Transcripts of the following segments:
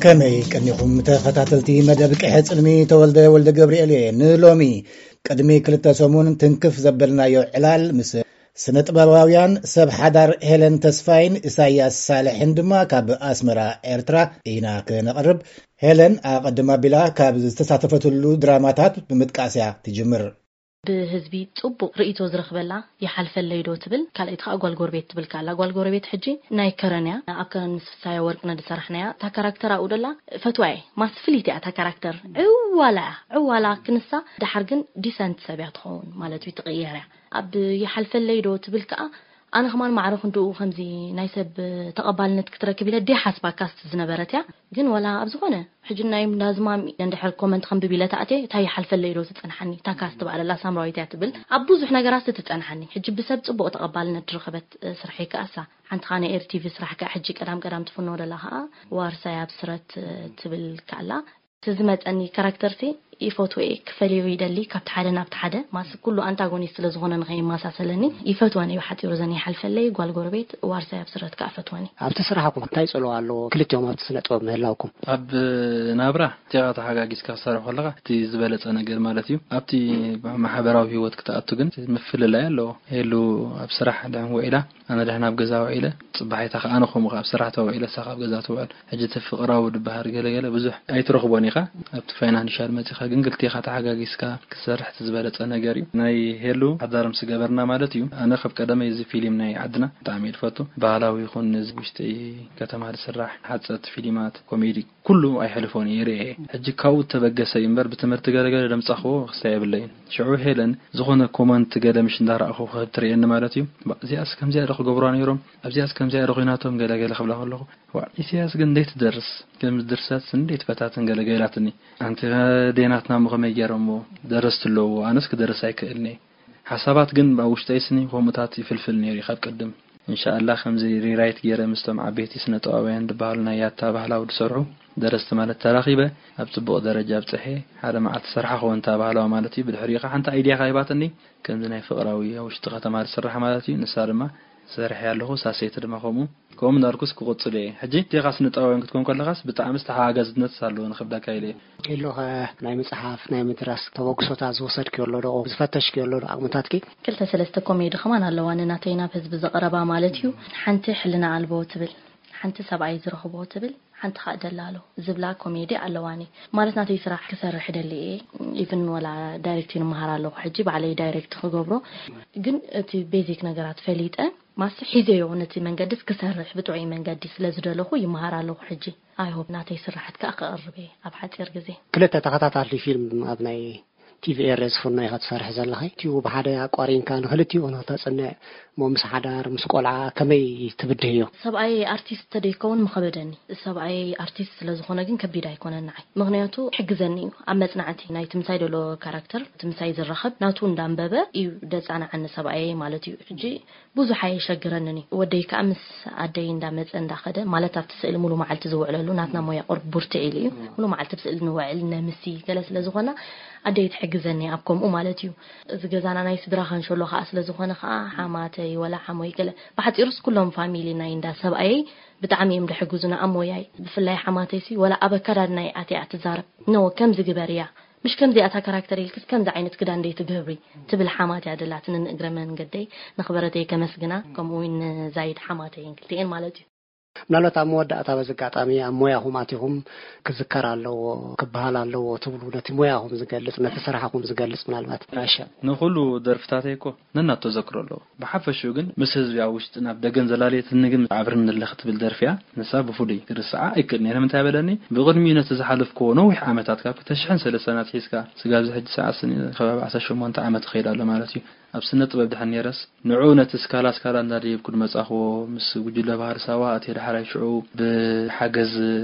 ከመይ ቀኒኹም ተኸታተልቲ መደብ ቅሐ ጽልሚ? ተወልደ ወልደ ገብርኤል እየ። ንሎሚ ቅድሚ ክልተ ሰሙን ትንክፍ ዘበልናዮ ዕላል ምስ ስነ ጥበባውያን ሰብ ሓዳር ሄለን ተስፋይን ኢሳያስ ሳልሕን ድማ ካብ ኣስመራ ኤርትራ ኢና ክነቕርብ። ሄለን ኣቐድም ኣቢላ ካብ ዝተሳተፈትሉ ድራማታት ብምጥቃስ እያ ትጅምር። ብህዝቢ ጽቡቕ ርእይቶ ዝረኽበላ ይሓልፈለይ ዶ ትብል፣ ካልኣይቲ ከኣ ጓል ጎረቤት ትብል ከኣላ። ጓል ጎረቤት ሕጂ ናይ ከረን እያ። ኣብ ከረን ምስ ፍሳዮ ወርቅነ ዝሰራሕናያ። እታ ካራክተር ኣብኡ ደላ ፈትዋ እየ። ማስ ፍልይቲ እያ እታ ካራክተር። ዕዋላ እያ። ዕዋላ ክንሳ፣ ደሓር ግን ዲሰንት ሰብ እያ ትኸውን ማለት እዩ፣ ትቕየር እያ። ኣብ ይሓልፈለይ ዶ ትብል ከኣ፣ ኣነ ከማን ማዕረ ክንድኡ ከምዚ ናይ ሰብ ተቐባልነት ክትረክብ ኢለ ድየ ሓስባ ካስት ዝነበረት እያ። ግን ወላ ኣብ ዝኾነ ሕጂ ናይ እንዳዝማም እንድሕር ኮመንት ከንብብ ኢለ ተኣትየ፣ እንታይ ይሓልፈለይ ዶ ትጸንሓኒ? እታ ካስት በኣለላ ሳምራዊት እያ ትብል። ኣብ ብዙሕ ነገራት ትጸንሓኒ። ሕጂ ብሰብ ጽቡቕ ተቐባልነት ዝረኸበት፣ እ፣ ስራሕ ይከኣሳ። ሓንቲ ኸኣ ናይ ኤር ቲቪ ስራሕ ከኣ ሕጂ ቀዳም ቀዳም ትፍኖ ደላ ኸኣ ዋርሳይ ኣብ ስረት፣ እ፣ ትብል ከኣላ። እቲ ዝመጸኒ ካራክተርሲ ይፈትዎ እየ፣ ክፈልዮ ይደሊ፣ ካብቲ ሓደ ናብቲ ሓደ። ማስ ኩሉ ኣንታጎኒስት ስለ ዝኾነ ንኸይመሳሰለኒ ይፈትወን እዩ ብሓጺሩ። ዘን ይሓልፈለይ፣ ጓል ጎረቤት፣ ዋርሳይ ኣብ ስረት ከኣ ፈትወን እዩ። ኣብቲ ስራሕኩም እንታይ ጽልዋ ኣለዎ ክልቲኦም ኣብቲ ስነ ጥበብ ምህላውኩም? ኣብ ናብራ እቲኻ ተሓጋጊዝካ ክሰርሕ ከለኻ እቲ ዝበለጸ ነገር ማለት እዩ። ኣብቲ ማሕበራዊ ህይወት ክትኣቱ ግን ምፍልላይ ኣለዎ። ሄሉ ኣብ ስራሕ ድሕን ውዒላ፣ ኣነ ድሕን ኣብ ገዛ ውዒለ፣ ጽባሒታ ከኣ ኣነ ከምኡ ከኣ ኣብ ስራሕ ተውዒለ፣ እሳ ከኣ ኣብ ገዛ ትውዕል። ሕጂ እቲ ፍቕራዊ ድበሃል ገለገለ ብዙሕ ኣይትረኽቦን ኢኻ። ኣብቲ ፋይናንሻል መጺኻ ግን ክልቴኻ ተሓጋጊዝካ ክትሰርሕ እቲ ዝበለጸ ነገር እዩ። ናይ ሄሉ ሓዳር ምስ ገበርና ማለት እዩ። ኣነ ካብ ቀደመይ እዚ ፊልም ናይ ዓድና ብጣዕሚ እየ ዝፈቱ። ባህላዊ ይኹን እዚ ውሽጢ ከተማ ዝስራሕ ሓጸርቲ ፊልማት፣ ኮሜዲ፣ ኩሉ ኣይሕልፎን እየ ይርእየ። ሕጂ ካብኡ እተበገሰ እዩ እምበር ብትምህርቲ ገለገለ ደምጻኽዎ ክስታይ የብለይን። ሽዑ ሄለን ዝኾነ ኮመንት ገለ ምሽ እንዳረኣኹ ክህብ ትርእየኒ ማለት እዩ። ባ፣ እዚኣስ ከምዚኣ ዶ ክገብሯ ነይሮም? ኣብዚኣስ ከምዚኣ ዶ ኮይናቶም? ገለገለ ክብላ ከለኹ፣ ዋ፣ ኢሳያስ ግን እንዴት ትደርስ? ከም ድርሰት እንዴት ፈታትን ገለገላትኒ። ኣንቲ ዴናትና እሞ ከመይ ገይሮሞ ደረስቲ ኣለዎ? ኣነስ ክደርስ ኣይክእልኒ። ሓሳባት ግን ኣብ ውሽጠይ ስኒ ከምኡታት ይፍልፍል ነይሩ ካብ ቅድም። እንሻኣላ ከምዚ ሪራይት ገይረ ምስቶም ዓበይቲ ስነ ጥበባውያን ዝበሃሉ ናይ ያታ ባህላዊ ዝሰርሑ ደረስቲ ማለት ተራኺበ ኣብ ጽቡቕ ደረጃ ኣብጽሐ። ሓደ መዓልቲ ሰርሓ ክኸውን እታ ባህላዊ ማለት እዩ። ብድሕሪኡ ኸዓ ሓንቲ ኣይድያ ኸዓ ሂባትኒ፣ ከምዚ ናይ ፍቕራዊ ኣብ ውሽጢ ከተማ ዝስራሕ ማለት እዩ። ንሳ ድማ ሰሪሐ ኣለኹ፣ ሳሴት ድማ ከምኡ። ከምኡ እንዳልኩስ ክቕጽል እየ። ሕጂ እቲኻ ስነ ጥበባውያን ክትኮን ከለኻስ ብጣዕሚ ዝተሓጋገዝነት ኣለዎ ንኽብለካ ኢለ እየ። ሄሎ፣ ኸ ናይ ምጽሓፍ ናይ ምድራስ ተበግሶታት ዝወሰድክዮ ኣሎ ዶ? ዝፈተሽክዮ ኣሎ ዶ ዓቕምታትኪ? ክልተ ሰለስተ ኮሜዲ ከማን ኣለዋ ንናተይ ናብ ህዝቢ ዘቕረባ ማለት እዩ። ሓንቲ ሕልና ኣልቦ ትብል፣ ሓንቲ ሰብኣይ ዝረኽቦ ትብል፣ ሓንቲ ኸኣ ደላሎ ዝብላ ኮሜዲ ኣለዋኒ። ማለት ናተይ ስራሕ ክሰርሕ ደሊ እየ። ኢቭን ወላ ዳይሬክቲንግ ይመሃር ኣለኹ ሕጂ፣ ባዕለይ ዳይሬክት ክገብሮ። ግን እቲ ቤዚክ ነገራት ፈሊጠ ማስ ሒዘዮ ነቲ መንገድስ ክሰርሕ ብጥዑይ መንገዲ ስለ ዝደለኹ ይመሃር ኣለኹ ሕጂ። ኣይ ሆፕ ናተይ ስራሓት ከኣ ክቕርብ እየ ኣብ ሓጺር ግዜ። ክልተ ተኸታታሊ ፊልም ኣብ ናይ ቲቪ ኤረ ዝፍኖ ኢኻ ትሰርሕ ዘለኻ። እቲኡ ብሓደ ኣቋሪንካ ንኽልቲኡ ንኽተጽንዕ እሞ ምስ ሓዳር፣ ምስ ቆልዓ ከመይ ትብድህዮ? ሰብኣይ ኣርቲስት ተደይከውን ምኸበደኒ። ሰብኣይ ኣርቲስት ስለ ዝኾነ ግን ከቢድ ኣይኮነን ንዓይ። ምኽንያቱ ይሕግዘኒ እዩ። ኣብ መጽናዕቲ ናይቲ ምሳይ ዘሎ ካራክተር፣ እቲ ምሳይ ዝራኸብ ናቱ እንዳንበበ እዩ ደጻንዓኒ ሰብኣየይ ማለት እዩ። ሕጂ ብዙሕ ኣየሸግረንን እዩ። ወደይ ከኣ ምስ ኣደይ እንዳመጸ እንዳኸደ፣ ማለት ኣብቲ ስእሊ ሙሉ መዓልቲ ዝውዕለሉ፣ ናትና ሞያ ቁሩብ ቡርትዕ ኢሉ እዩ። ሙሉ መዓልቲ ብስእሊ ንውዕል ነምሲ ገለ ስለ ዝኾና፣ ኣደይ ትሕግዘኒ ኣብ ከምኡ ማለት እዩ። እዚ ገዛና ናይ ስድራ ካንሸሎ ከኣ ስለ ዝኾነ ከኣ፣ ሓማተይ ወላ ሓሞይ ገለ፣ ብሓጺሩስ ኩሎም ፋሚሊ ናይ እንዳ ሰብኣየይ ብጣዕሚ እዮም ዝሕግዙና ኣብ ሞያይ። ብፍላይ ሓማተይሲ ወላ ኣብ ኣከዳድናይ ኣትያ ትዛረብ፣ "ኖ፣ ከምዚ ግበርያ፣ ምሽ ከምዚኣ እታ ካራክተር ኢልክስ ከምዚ ዓይነት ክዳን ደይ ትገብሪ?" ትብል ሓማት እያ ደላትኒ። ንእግረ መንገደይ ንኽበረተይ ከመስግና፣ ከምኡ እውን ንዛይድ ሓማተይን ክልቲኤን ማለት እዩ። ምናልባት ኣብ መወዳእታ በዚ ኣጋጣሚ ኣብ ሞያኹም ኣቲኹም ክዝከር ኣለዎ፣ ክበሃል ኣለዎ ትብሉ፣ ነቲ ሞያኹም ዝገልጽ፣ ነቲ ስራሕኹም ዝገልጽ ምናልባት? ራሻ። ንኹሉ ደርፍታተይ እኮ ነናቶ ዘክሮ ኣለዎ። ብሓፈሽኡ ግን ምስ ህዝቢ ኣብ ውሽጥን ኣብ ደገን ዘላለየትኒ ግን ኣብርኒ ኣለኺ ትብል ደርፊ እያ። ንሳ ብፍሉይ ክርስዓ ኣይክእልን እየ። ንምንታይ በለኒ? ብቕድሚኡ ነቲ ዝሓለፍክዎ ነዊሕ ዓመታት ካብ ክልተ ሽሕን ሰለስተን ኣትሒዝካ ስጋብ እዚ ሕጂ ሰዓት ስኒ ከባቢ ዓሰርተ ሸሞንተ ዓመት ይኸይድ ኣሎ ማለት እዩ። ኣብ ስነ ጥበብ ድሕን ነይረስ ንዕኡ ነቲ ስካላ ስካላ እንዳደየብኩ ዝመጻኽዎ ምስ ጉጅለ ባህር ሳዋ ኣትየ ዳሕራይ ሽዑ ብሓገዝ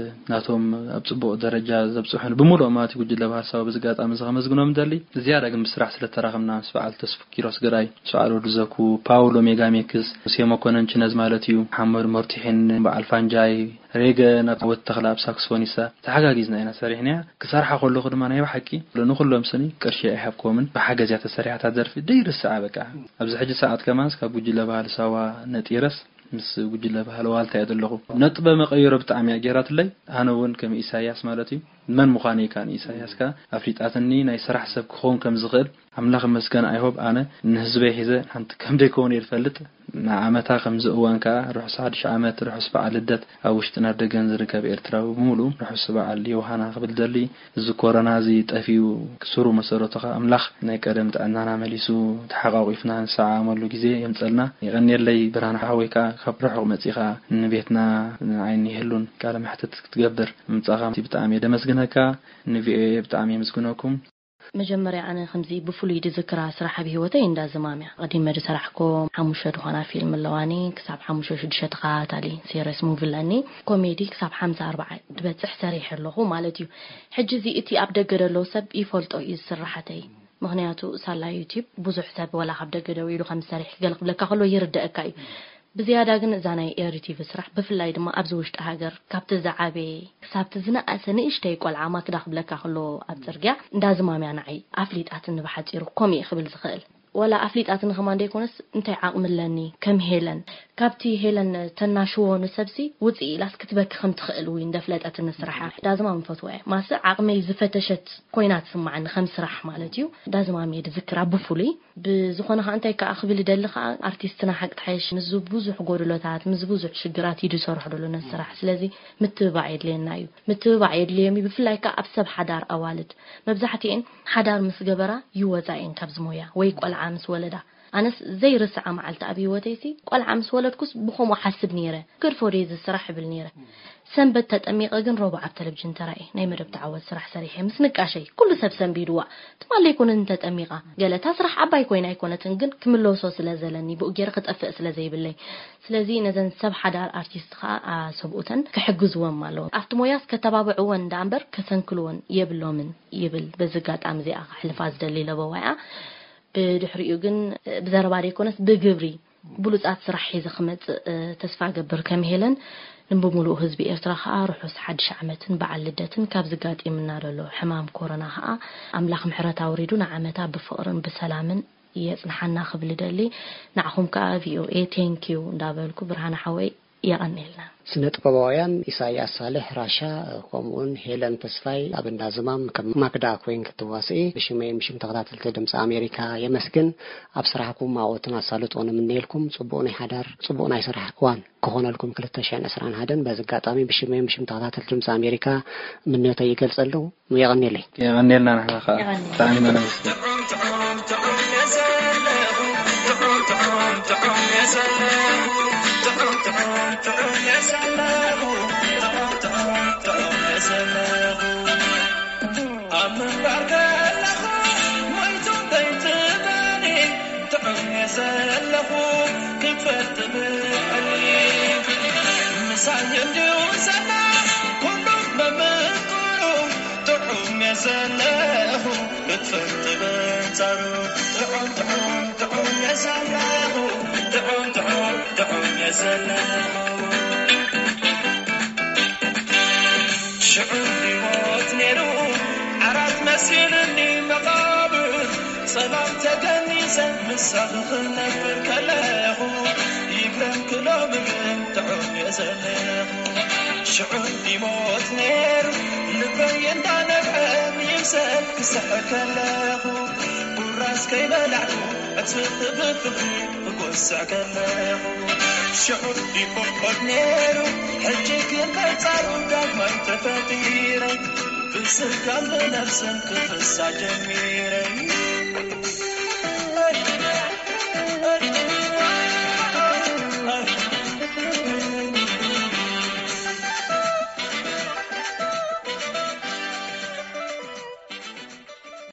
ናቶም ኣብ ጽቡቕ ደረጃ ዘብጽሑን ብምሉኦም ማለት እዩ ጉጅለ ባህር ሳዋ በዚ ኣጋጣሚ እዚ ከመስግኖም እደሊ። ዝያዳ ግን ብስራሕ ስለ ተራኸብና ምስ በዓል ተስፉ ኪሮስ ግራይ፣ ምስ በዓል ወዲ ዘኩ፣ ፓውሎ ሜጋሜክስ፣ ሙሴ መኮነን ችነዝ ማለት እዩ፣ መሓመድ ሞርቲሒን፣ በዓል ፋንጃይ፣ ሬገ ናብ ወዲ ተኽለ ኣብ ሳክስፎኒሳ ተሓጋጊዝና ኢና ሰሪሕናያ። ክሰርሓ ከለኹ ድማ ናይ ብሓቂ ንኹሎም ስኒ ቅርሺ ኣይሃብክዎምን፣ ብሓገዝ እያ ተሰሪሓ እታ ደርፊ ደይርስዓ በቃ። ኣብዚ ሕጂ ሰዓት ከማንስ ካብ ጉጅለ ባህሊ ሳዋ ነጢረስ ምስ ጉጅለ ባህሊ ዋልታ እየ ዘለኹ። ነጥበ መቐይሮ ብጣዕሚ እያ ገይራትለይ። ኣነ እውን ከም ኢሳያስ ማለት እዩ፣ መን ምዃነይ ከኣ ንኢሳያስ ከኣ ኣፍሊጣትኒ፣ ናይ ስራሕ ሰብ ክኸውን ከም ዝኽእል ኣምላኽ ይመስገን። ኣይሆብ ኣነ ንህዝበይ ሒዘ ሓንቲ ከም ደይከውን እየ ዝፈልጥ። ንዓመታ ከምዚ እዋን ከኣ ርሑስ ሓድሽ ዓመት፣ ርሑስ በዓል ልደት። ኣብ ውሽጥን ኣብ ደገን ዝርከብ ኤርትራዊ ብምሉኡ ርሑስ በዓል ዮሃና ክብል ደሊ። እዚ ኮሮና እዚ ጠፊኡ ክስሩ መሰረቱ ከኣ ኣምላኽ ናይ ቀደም ጥዕናና መሊሱ ተሓቋቒፍና ንሰዓመሉ ግዜ የምጸልና። የቐንየለይ ብርሃን ሓወይ ከኣ ካብ ርሑቕ መጺኻ ንቤትና ንዓይኒ ይህሉን ቃለ መሕትት ክትገብር ምጻኻ ብጣዕሚ እየ ደመስግነካ። ንቪኦኤ ብጣዕሚ የመስግነኩም። መጀመርያ ኣነ ከምዚ ብፍሉይ ድዝክራ ስራሕ ኣብ ህይወተይ እንዳ ዝማምያ ቀዲመ ድሰራሕኮ ሓሙሽተ ድኾና ፊልም ኣለዋኒ። ክሳብ ሓሙሽተ ሽዱሽተ ተኸታታሊ ሴሪስ ሙቪ ኣለኒ። ኮሜዲ ክሳብ ሓምሳ ኣርባዓ ድበጽሕ ሰሪሐ ኣለኹ ማለት እዩ። ሕጂ እዚ እቲ ኣብ ደገ ደሎ ሰብ ይፈልጦ እዩ ስራሓተይ። ምኽንያቱ ሳላ ዩቲዩብ ብዙሕ ሰብ ወላ ካብ ደገ ደው ኢሉ ከም ዝሰርሕ ገለ ክብለካ ከሎ ይርደአካ እዩ። ብዝያዳ ግን እዛ ናይ ኤሪ ቲቪ ስራሕ ብፍላይ ድማ ኣብዚ ውሽጢ ሃገር ካብቲ ዝዓበየ ክሳብቲ ዝነኣሰ ንእሽተይ ቆልዓ ማክዳ ክብለካ ከሎ ኣብ ጽርግያ እንዳ ዝማምያ ንዓይ ኣፍሊጣትኒ። ብሓጺሩ ከምኡ እየ ክብል ዝኽእል። ወላ ኣፍሊጣትኒ ከማን ደይኮነስ እንታይ ዓቕሚ ኣለኒ ከም ሄለን ካብቲ ሄለን ተናሽዎ ንሰብሲ ውጽእ ኢላስ ክትበኪ ከም ትኽእል እውን እንደፍለጠትኒ ስራሓ ዳዝማም ፈትዋ እየ። ማስ ዓቕመይ ዝፈተሸት ኮይና ትስማዓኒ ከም ስራሕ ማለት እዩ። ዳዝማም እየ ድዝክራ ብፍሉይ። ብዝኾነ ከኣ እንታይ ከኣ ክብል ይደሊ ከኣ ኣርቲስትና ሓቂ ትሓይሽ ምስዚ ብዙሕ ጎድሎታት ምስዚ ብዙሕ ሽግራት እዩ ዝሰርሖ ዘሎ ነዚ ስራሕ። ስለዚ ምትብባዕ የድልየና እዩ። ምትብባዕ የድልዮም እዩ። ብፍላይ ከኣ ኣብ ሰብ ሓዳር ኣዋልድ መብዛሕትኤን ሓዳር ምስ ገበራ ይወፃ እየን ካብዚ ሞያ ወይ ቆልዓ ምስ ወለዳ። ኣነስ ዘይርስዓ መዓልቲ ኣብ ህይወተይሲ ቆልዓ ምስ ወለድኩስ ብኸምኡ ሓስብ ነይረ። ገድፎ ድየ እዚ ስራሕ እብል ነይረ። ሰንበት ተጠሚቐ ግን ረቡዕ ኣብ ተለቪዥን ተራእየ ናይ መደብ ተዓወት ስራሕ ሰሪሐ ምስ ንቃሸይ ኩሉ ሰብ ሰንቢድዋ። ትማሊ ኣይኮነትን ተጠሚቓ ገለ እታ ስራሕ ዓባይ ኮይና ኣይኮነትን ግን ክምለሶ ስለ ዘለኒ ብኡ ገይረ ክጠፍእ ስለ ዘይብለይ። ስለዚ ነዘን ሰብ ሓዳር ኣርቲስት ከዓ ሰብኡተን ክሕግዝዎም ኣለዎም። ኣብቲ ሞያስ ከተባብዕወን ደኣ እምበር ከሰንክልወን የብሎምን ይብል። በዚ ኣጋጣሚ እዚኣ ከሕልፋ ዝደሊ ለበዋያ ብድሕሪኡ ግን ብዘረባ ደይኮነስ ብግብሪ ብሉጻት ስራሕ ሒዘ ክመጽእ ተስፋ እገብር ከም ሄለን። ንብምሉኡ ህዝቢ ኤርትራ ከኣ ርሑስ ሓድሽ ዓመትን በዓል ልደትን ካብዚ ጋጢምና ዘሎ ሕማም ኮሮና ከኣ ኣምላኽ ምሕረት ኣውሪዱ ንዓመታ ብፍቕርን ብሰላምን የጽንሓና ክብል እደሊ። ንዓኹም ከኣ ቪኦኤ ቴንኪዩ እንዳበልኩ ብርሃነ ሓወይ የቐንየልና። ስነ ጥበባውያን ኢሳያስ ሳልሕ ራሻ ከምኡውን ሄለን ተስፋይ ኣብ እንዳ ዝማም ከም ማክዳ ኮይን ክትዋስኢ ብሽመይን ብሽም ተኸታተልቲ ድምፂ ኣሜሪካ የመስግን። ኣብ ስራሕኩም ኣብኦትን ኣሳልጦን እምነየልኩም። ፅቡቕ ናይ ሓዳር ፅቡቕ ናይ ስራሕ እዋን ክኾነልኩም ክልተ ሽሕን ዕስራን ሓደን። በዚ ኣጋጣሚ ብሽመይን ብሽም ተኸታተልቲ ድምፂ ኣሜሪካ ምንዮተይ ይገልፀሉ። የቐንየለይ። የቐንየልና ንሕና ከኣ። የቐንየልና። ብጣዕሚ ኢና ነመስግን። ኣብ ምንባር ከለኹ ሞይቱ ከይትበኒ ጥዑም እየ ዘለኹ ክትፈልጥ ብዕሊ። ምሳይ እንድዩ ዘላ ኩሉ መምክሩ ጥዑም እየ ዘለኹ ክትፈልጥ በንጻሩ። ጥዑም፣ ጥዑም፣ ጥዑም እየ ዘለኹ። ጥዑም፣ ጥዑም፣ ጥዑም እየ ዘለኹ። ሽዑ ይሞት ነይሩ ዓራት መሲሉኒ መቓብር። ጸላም ተገኒሰ ምሳኺ ክነብር ከለኹ። ይግረም ክሎሚ ግን ጥዑም እየ ዘለኹ። ሽዑ ይሞት ነይሩ ልበይ እንዳነብዐ ይምሰል ክስሕር ከለኹ። ቁራስ ከይበላዕኩ ዕጽፊ ብፍቕሪ ክጎስዕ ከለኹ። ሽዑ ይቆቆድ ነይሩ ሕጂ ግን በንጻሩ ዳግማይ ተፈጢረ። ብስጋን ብነፍስን ክፍሳ ጀሚረ።